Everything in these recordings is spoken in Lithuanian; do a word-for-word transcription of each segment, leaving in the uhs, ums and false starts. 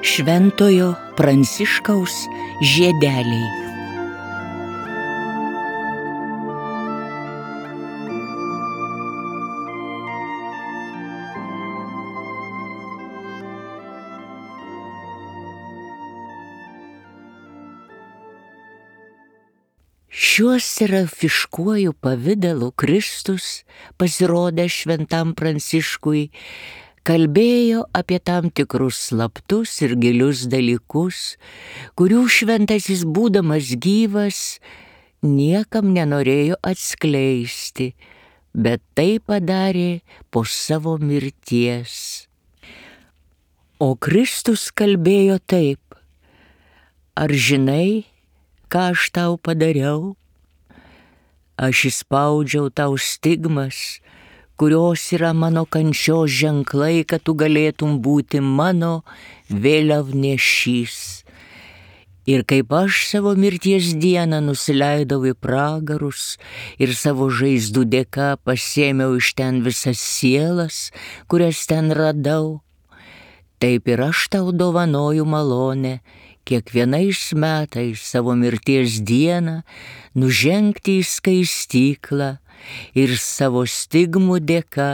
Šventojo Pranciškaus žiedeliai. Šiuo serafiškuoju pavidalu Kristus, pasirodęs šventam Pranciškui, kalbėjo apie tam tikrus slaptus ir gilius dalykus, kurių šventasis būdamas gyvas niekam nenorėjo atskleisti, bet tai padarė po savo mirties. O Kristus kalbėjo taip: ar žinai, ką aš tau padariau? Aš įspaudžiau tau stigmas, kurios yra mano kančios ženklai, kad tu galėtum būti mano vėliavnešys. Ir kaip aš savo mirties dieną nusileidau į pragarus ir savo žaizdų dėka pasėmiau iš ten visas sielas, kurias ten radau, taip ir aš tau dovanoju malonę kiekvienais metais savo mirties dieną nužengti į skaistyklą ir savo stigmų dėka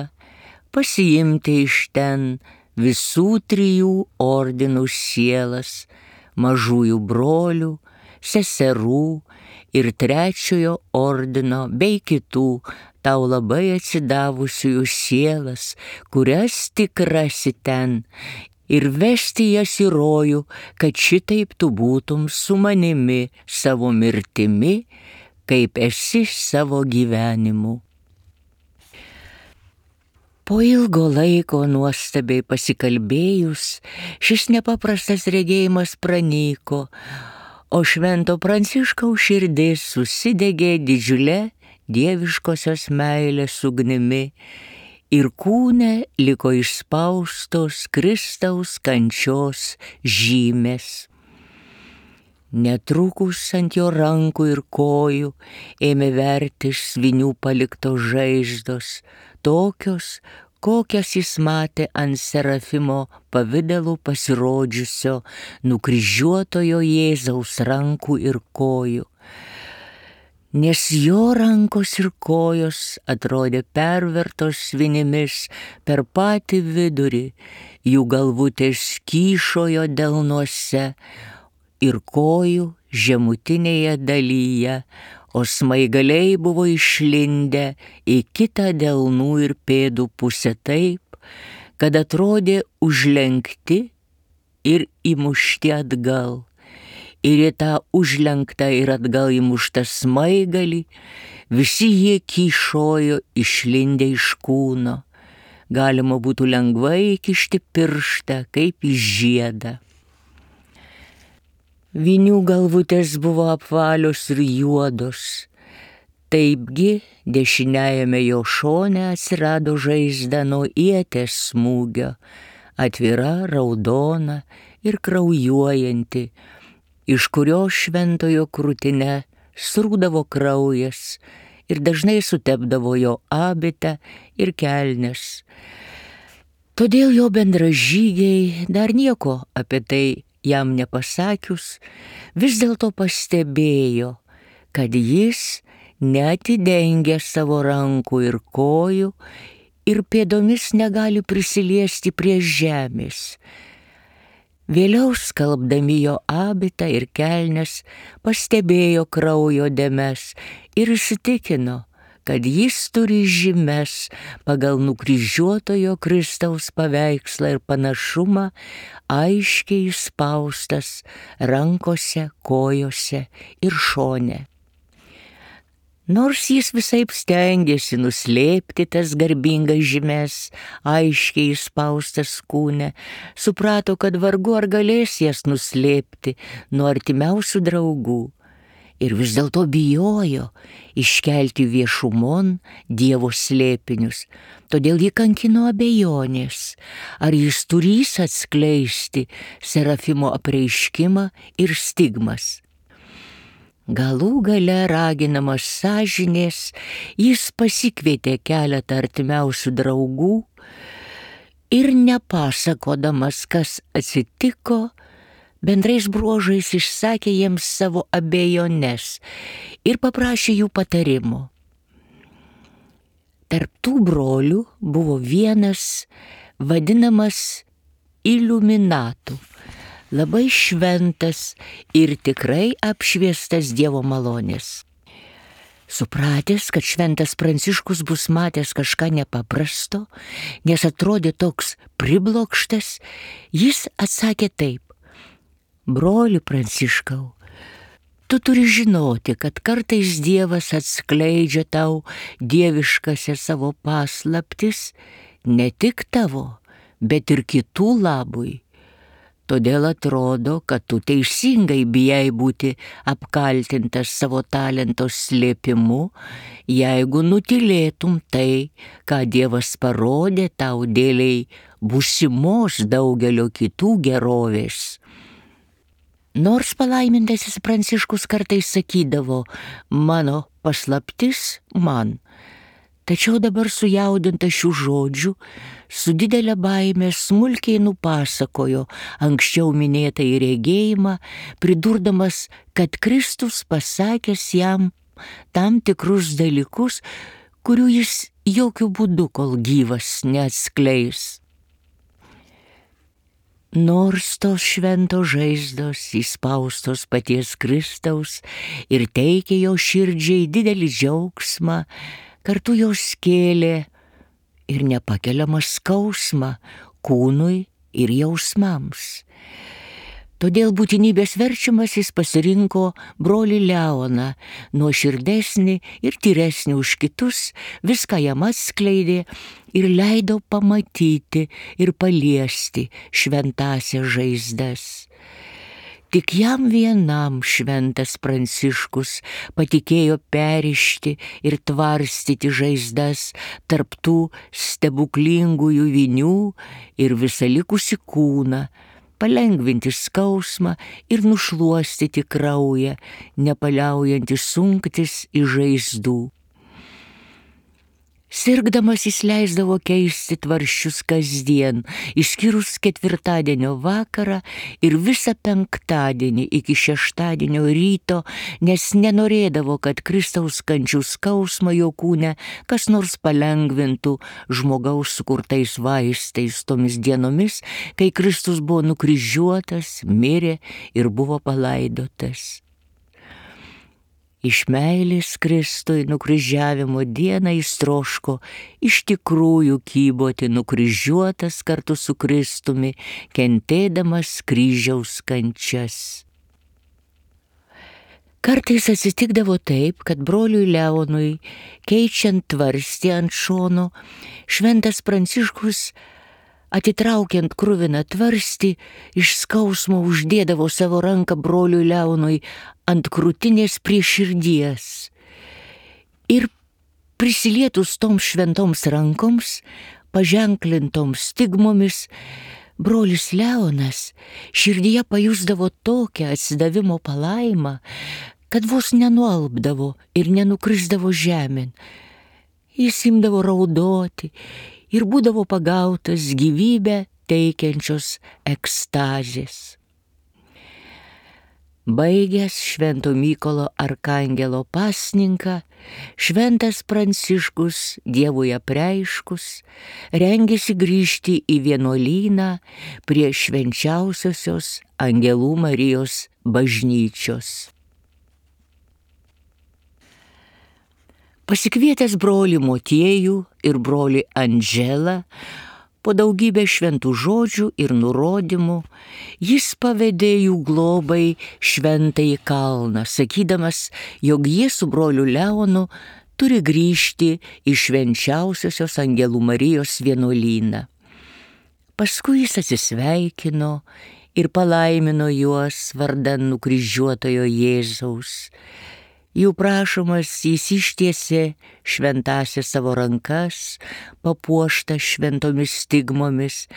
pasiimti iš ten visų trijų ordinų sielas, mažųjų brolių, seserų ir trečiojo ordino bei kitų tau labai atsidavusiųjų sielas, kurias tik rasi ten, ir vesti jas į rojų, kad šitaip tu būtum su manimi savo mirtimi, kaip esi savo gyvenimu. Po ilgo laiko nuostabiai pasikalbėjus, šis nepaprastas regėjimas pranyko, o švento Pranciškaus širdis susidegė didžiulė dieviškosios meilės ugnimi, ir kūne liko išspaustos Kristaus kančios žymės. Netrukus ant jo rankų ir kojų ėmė vertis svinių paliktos žaizdos, tokios, kokias jis matė ant serafimo pavidalų pasirodžiusio nukryžiuotojo Jėzaus rankų ir kojų. Nes jo rankos ir kojos atrodė pervertos svinimis per patį vidurį, jų galvutės kyšojo delnuose ir kojų žemutinėje dalyje, o smaigaliai buvo išlindę į kitą delnų ir pėdų pusę taip, kad atrodė užlenkti ir įmušti atgal. Ir į tą užlenktą ir atgal įmuštą smaigalį visi jie kyšojo išlindę iš kūno. Galima būtų lengvai įkišti pirštą kaip į žiedą. Vinių galvutės buvo apvalios ir juodos. Taipgi dešiniajame jo šone atsirado žaizda nuo ieties smūgio, atvira, raudona ir kraujuojanti, iš kurio šventojo krūtine srūdavo kraujas ir dažnai sutepdavo jo abitą ir kelnes. Todėl jo bendražygiai, dar nieko apie tai jam nepasakius, vis dėlto pastebėjo, kad jis neatidengė savo rankų ir kojų ir pėdomis negali prisiliesti prie žemės. Vėliau skalbdami jo abitą ir kelnes pastebėjo kraujo dėmes ir įsitikino, kad jis turi žymes pagal nukryžiuotojo Kristaus paveikslą ir panašumą aiškiai įspaustas rankose, kojose ir šone. Nors jis visaip stengėsi nuslėpti tas garbingas žymes, aiškiai įspaustas kūne, suprato, kad vargu ar galės jas nuslėpti nuo artimiausių draugų. Ir vis dėlto bijojo iškelti viešumon Dievo slėpinius, todėl jį kankino abejonės, ar jis turės atskleisti serafimo apreiškimą ir stigmas. Galų gale raginamas sąžinės, jis pasikvietė keletą artimiausių draugų ir nepasakodamas, kas atsitiko, bendrais bruožais išsakė jiems savo abejones ir paprašė jų patarimo. Tarp tų brolių buvo vienas vadinamas iliuminatu, labai šventas ir tikrai apšviestas Dievo malonės. Supratęs, kad šventas Pranciškus bus matęs kažką nepaprasto, nes atrodė toks priblokštas, jis atsakė taip: broli Pranciškau, tu turi žinoti, kad kartais Dievas atskleidžia tau dieviškasias savo paslaptis ne tik tavo, bet ir kitų labui. Todėl atrodo, kad tu teisingai bijai būti apkaltintas savo talento slėpimu, jeigu nutylėtum tai, ką Dievas parodė tau dėliai būsimos daugelio kitų gerovės. Nors palaimintasis Pranciškus kartais sakydavo: mano paslaptis man, tačiau dabar sujaudintas šių žodžių, su didelė baime smulkiai nupasakojo anksčiau minėtą regėjimą, pridurdamas, kad Kristus pasakęs jam tam tikrus dalykus, kurių jis jokių būdų, kol gyvas, neatskleis. Nors tos šventos žaizdos įspaustos paties Kristaus ir teikė jo širdžiai didelį džiaugsmą, kartu jos kėlė ir nepakeliamą skausmą kūnui ir jausmams. Todėl būtinybės verčiamas jis pasirinko brolį Leoną, nuoširdesnį ir tyresnį už kitus, viską jam atskleidė ir leido pamatyti ir paliesti šventąsias žaizdas. Tik jam vienam šventas Pranciškus patikėjo perišti ir tvarstyti žaizdas tarp tų stebuklingųjų vinių ir visą likusį kūną, palengvinti skausmą ir nušluostyti kraują, nepaliaujantį sunktis į žaizdų. Sirgdamas jis leisdavo keisti tvarsčius kasdien, išskyrus ketvirtadienio vakarą ir visą penktadienį iki šeštadienio ryto, nes nenorėdavo, kad Kristaus kančių skausmą jo kūne kas nors palengvintų žmogaus sukurtais vaistais tomis dienomis, kai Kristus buvo nukryžiuotas, mirė ir buvo palaidotas. Iš meilės Kristui nukryžiavimo dieną jis troško iš tikrųjų kyboti nukryžiuotas kartu su Kristumi, kentėdamas kryžiaus kančias. Kartais atsitikdavo taip, kad broliui Leonui, keičiant tvarstį ant šono, šventas Pranciškus, atitraukiant kruviną tvarstį, iš skausmo uždėdavo savo ranką broliui Leonui ant krūtinės prie širdies. Ir prisilietus toms šventoms rankoms, paženklintoms stigmomis, brolis Leonas širdyje pajusdavo tokią atsidavimo palaimą, kad vos nenualpdavo ir nenukrisdavo žemėn. Jis imdavo raudoti ir būdavo pagautas gyvybę teikiančios ekstazės. Baigęs Švento Mykolo arkangelo pasninką, šventas Pranciškus, Dievui apreiškus, rengėsi grįžti į vienuolyną prie švenčiausiosios Angelų Marijos bažnyčios. Pasikvietęs brolį Motiejų ir brolį Andželą, po daugybę šventų žodžių ir nurodymų, jis pavedė jų globai šventąjį kalną, sakydamas, jog jie su broliu Leonu turi grįžti į švenčiausiosios Angelų Marijos vienuolyną. Paskui jis atsisveikino ir palaimino juos vardan nukryžiuotojo Jėzaus. Jų prašomas jis ištiesė šventąsias savo rankas, papuoštas šventomis stigmomis,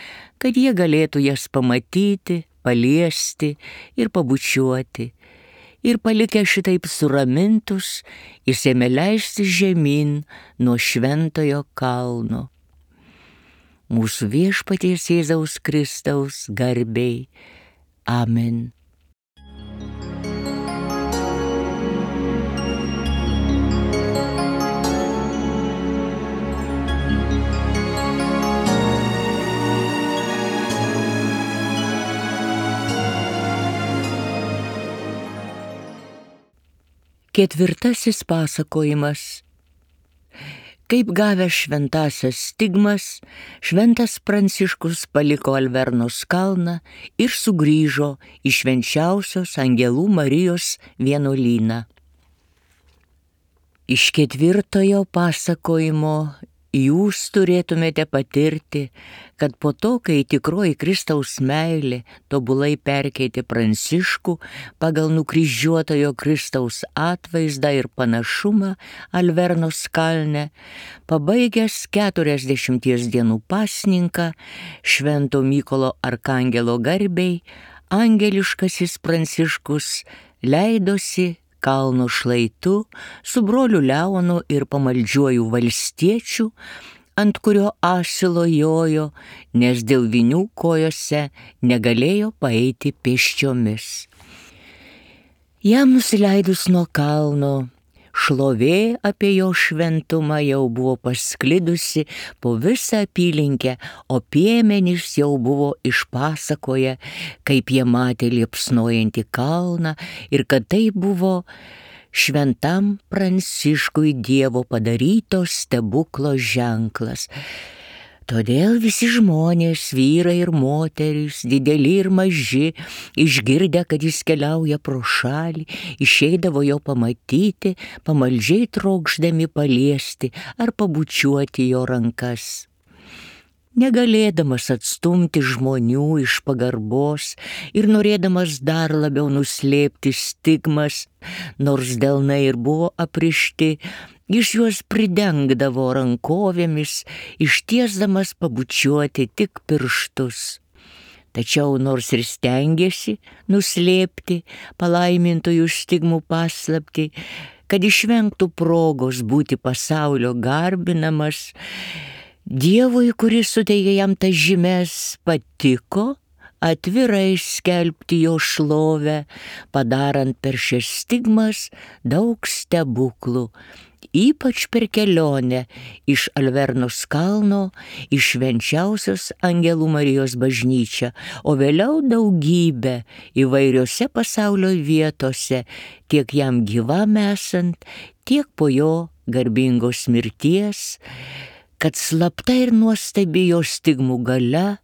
kad jie galėtų jas pamatyti, paliesti ir pabučiuoti. Ir palikę šitaip suramintus, jis ėmė leisti žemyn nuo šventojo kalno. Mūsų Viešpaties Jėzaus Kristaus garbei. Amen. Ketvirtasis pasakojimas. Kaip gavęs šventąsias stigmas, šventas Pranciškus paliko Alvernos kalną ir sugrįžo į švenčiausios Angelų Marijos vienuolyną. Iš ketvirtojo pasakojimo jūs turėtumėte patirti, kad po to, kai tikroji Kristaus meilė tobulai perkeitė Pranciškų pagal nukryžiuotojo Kristaus atvaizdą ir panašumą Alvernos kalne, pabaigęs keturiasdešimties dienų pasninką Švento Mykolo Arkangelo garbei, angeliškasis Pranciškus leidosi kalno šlaitu su broliu Leonu ir pamaldžiuoju valstiečiu, ant kurio asilo jojo, nes dėl vinių kojose negalėjo paeiti pėsčiomis. Jam nusileidus nuo kalno, šlovė apie jo šventumą jau buvo pasklidusi po visą apylinkę, o piemenys jau buvo išpasakoję, kaip jie matė liepsnojantį kalną ir kad tai buvo šventam Pranciškui Dievo padaryto stebuklo ženklas. Todėl visi žmonės, vyrai ir moterys, dideli ir maži, išgirdę, kad jis keliauja pro šalį, išeidavo jo pamatyti, pamaldžiai trokšdami paliesti ar pabučiuoti jo rankas. Negalėdamas atstumti žmonių iš pagarbos ir norėdamas dar labiau nuslėpti stigmas, nors delnai ir buvo aprišti, jis juos pridengdavo rankovėmis, ištiesdamas pabučiuoti tik pirštus. Tačiau nors ir stengėsi nuslėpti palaimintųjų stigmų paslaptį, kad išvengtų progos būti pasaulio garbinamas, Dievui, kuris suteikė jam tas žymes, patiko atvirai skelbti jo šlovę, padarant per šias stigmas daug stebuklų, ypač per kelionę iš Alvernos kalno į švenčiausios Angelų Marijos bažnyčią, o vėliau daugybę įvairiose pasaulio vietose, tiek jam gyvam esant, tiek po jo garbingos mirties, kad slapta ir nuostabi jo stigmų galia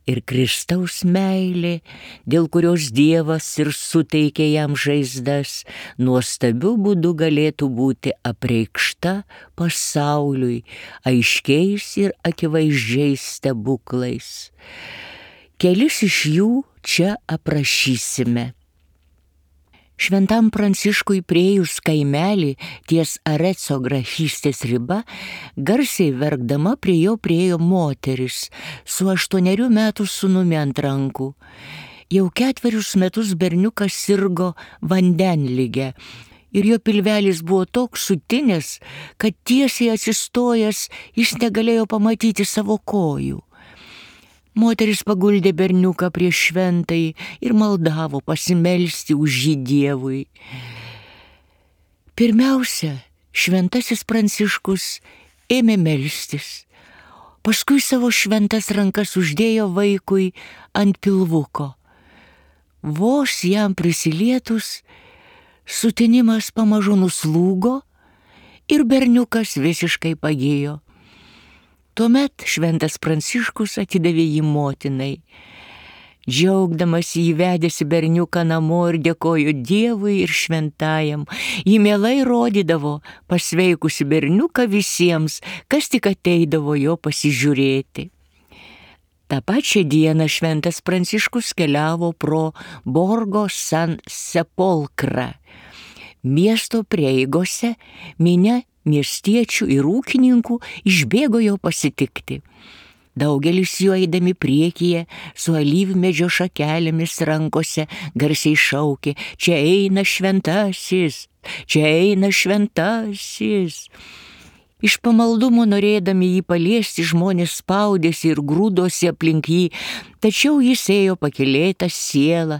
ir Kristaus meilė, dėl kurios Dievas ir suteikė jam žaizdas, nuostabiu būdu galėtų būti apreikšta pasauliui aiškiais ir akivaizdžiais stebuklais. Kelis iš jų čia aprašysime. Šventam Pranciškui priėjus kaimelį ties Areco grafystės riba, garsiai verkdama prie jo priėjo moteris su aštuonerių metų sūnumi ant rankų. Jau ketverius metus berniukas sirgo vandenlige ir jo pilvelis buvo toks sutinęs, kad tiesiai atsistojęs jis negalėjo pamatyti savo kojų. Moteris paguldė berniuką prie šventai ir maldavo pasimelsti už jį Dievui. Pirmiausia, šventasis Pranciškus ėmė melstis, paskui savo šventas rankas uždėjo vaikui ant pilvuko. Vos jam prisilietus, sutinimas pamažu nuslūgo ir berniukas visiškai pagijo. Tuomet šventas Pranciškus atidavė jį motinai. Džiaugdamas jį vedėsi berniuką namo ir dėkojo Dievui ir šventajam. Jį mielai rodydavo pasveikusi berniuką visiems, kas tik ateidavo jo pasižiūrėti. Ta pačia dieną šventas Pranciškus keliavo pro Borgo San Sepolkrą. Miesto prieigose minia miestiečių ir ūkininkų išbėgo jo pasitikti. Daugelis jų eidami priekyje su alyvmedžio šakelėmis rankose garsiai šaukė: čia eina šventasis, čia eina šventasis. Iš pamaldumo norėdami jį paliesti, žmonės spaudėsi ir grūdosi aplink jį, tačiau jis ėjo pakylėta siela,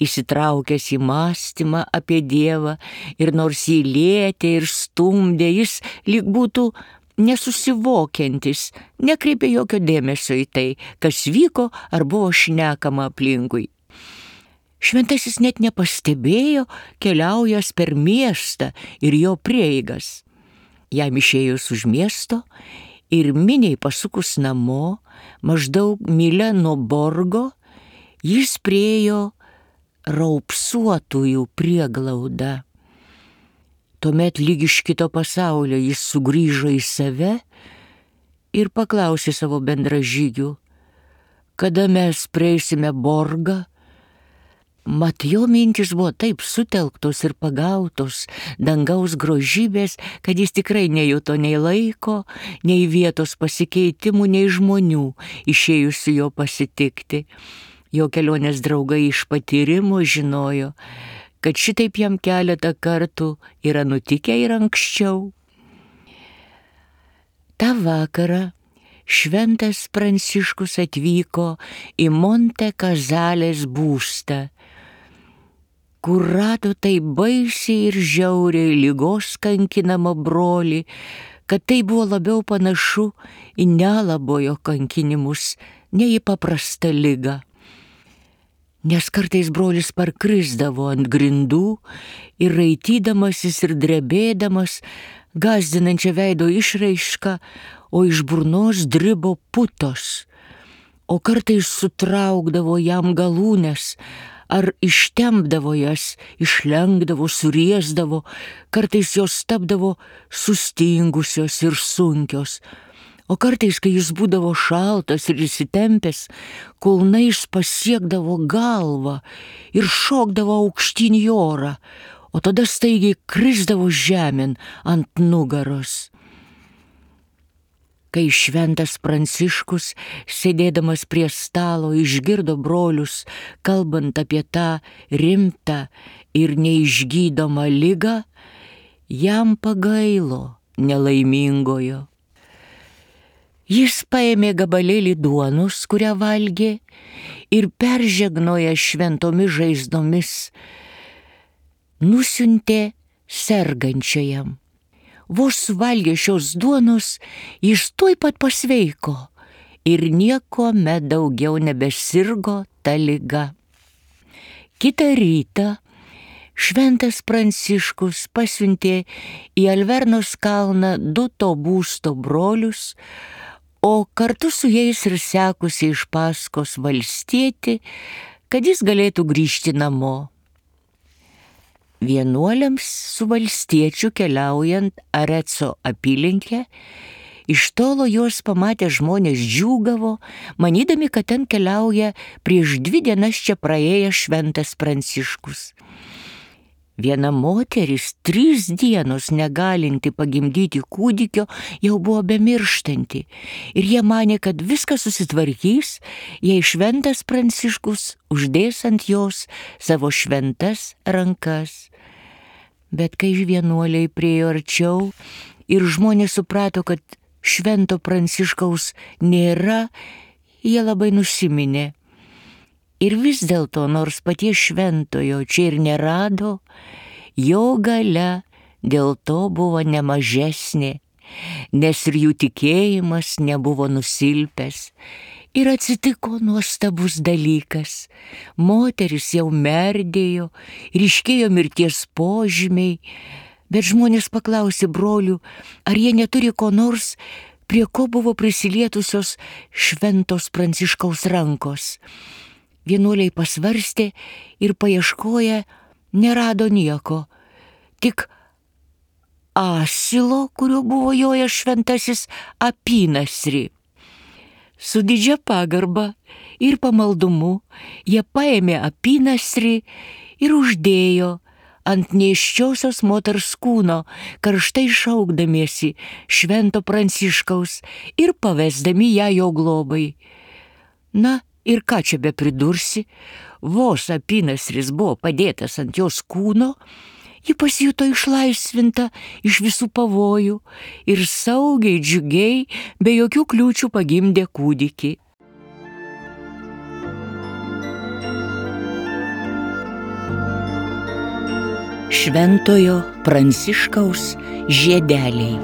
įsitraukęs į mąstymą apie Dievą, ir nors jį lietė ir stumdė, jis lyg būtų nesusivokiantis, nekreipė jokio dėmesio į tai, kas vyko ar buvo šnekama aplinkui. Šventasis net nepastebėjo, keliaujas per miestą ir jo prieigas. Jam išėjus už miesto ir miniai pasukus namo, maždaug mylia nuo borgo, jis priėjo raupsuotųjų prieglaudą. Tuomet lyg iš kito pasaulio jis sugrįžo į save ir paklausė savo bendražygių, kada mes prieisime borgą. Mat jo mintis buvo taip sutelktos ir pagautos dangaus grožybės, kad jis tikrai nejuto nei laiko, nei vietos pasikeitimų, nei žmonių išėjusių jo pasitikti. Jo kelionės draugai iš patyrimo žinojo, kad šitaip jam keletą kartų yra nutikę ir anksčiau. Ta vakarą šventas Pranciškus atvyko į Monte Kazalės būstą, kur rado tai baisiai ir žiauriai ligos kankinamą brolį, kad tai buvo labiau panašu į nelabojo kankinimus, nei į paprastą ligą. Nes kartais brolis parkrisdavo ant grindų ir raitydamasis ir drebėdamas, gąsdinančia veido išraišką, o iš burnos dribo putos, o kartais sutraukdavo jam galūnes, ar ištempdavo jas, išlenkdavo, suriesdavo, kartais jos tapdavo sustingusios ir sunkios, o kartais, kai jis būdavo šaltas ir įsitempęs, kulnais pasiekdavo galvą ir šokdavo aukštyn į orą, o tada staigiai krisdavo žemėn ant nugaros. Kai šventas Pranciškus, sėdėdamas prie stalo, išgirdo brolius, kalbant apie tą rimtą ir neišgydomą ligą, jam pagailo nelaimingojo. Jis paėmė gabalėlį duonos, kurią valgė, ir peržegnoja šventomis žaizdomis, nusiuntė sergančiajam. Vos valgė šios duonos, jis tuoj pat pasveiko ir niekuomet daugiau nebesirgo ta liga. Kitą rytą šventas Pranciškus pasiuntė į Alvernos kalną du to būsto brolius, o kartu su jais ir sekusi iš paskos valstietį, kad jis galėtų grįžti namo. Vienuoliams su valstiečiu keliaujant Areco apylinkę, iš tolo juos pamatę žmonės džiūgavo, manydami, kad ten keliauja prieš dvi dienas čia praėjęs šventas Pranciškus. Viena moteris, trys dienos negalinti pagimdyti kūdikio, jau buvo bemirštanti, ir jie manė, kad viskas susitvarkys, jei šventas Pranciškus uždės ant jos savo šventas rankas. Bet kai vienuoliai priejo arčiau ir žmonės suprato, kad švento Pranciškaus nėra, jie labai nusiminė. Ir vis dėlto, nors paties šventojo čia ir nerado, jo galia dėl to buvo nemažesnė, nes ir jų tikėjimas nebuvo nusilpęs. Ir atsitiko nuostabus dalykas. Moteris jau merdėjo, ryškėjo mirties požymiai, bet žmonės paklausė brolių, ar jie neturi ko nors, prie ko buvo prisilietusios šventos Pranciškaus rankos. Vienuoliai pasvarstė ir paieškoję nerado nieko, tik asilo, kuriuo buvo jojęs šventasis apynasrį. Su didžia pagarba ir pamaldumu jie paėmė apynasrį ir uždėjo ant nėščiosios moters kūno, karštai šaukdamiesi švento Pranciškaus ir pavesdami ją jo globai. Na, ir ką čia bepridursi, vos apynasris buvo padėtas ant jos kūno, ji pasijuto išlaisvinta iš visų pavojų ir saugiai, džiugiai, be jokių kliūčių pagimdė kūdikį. Šventojo Pranciškaus žiedeliai.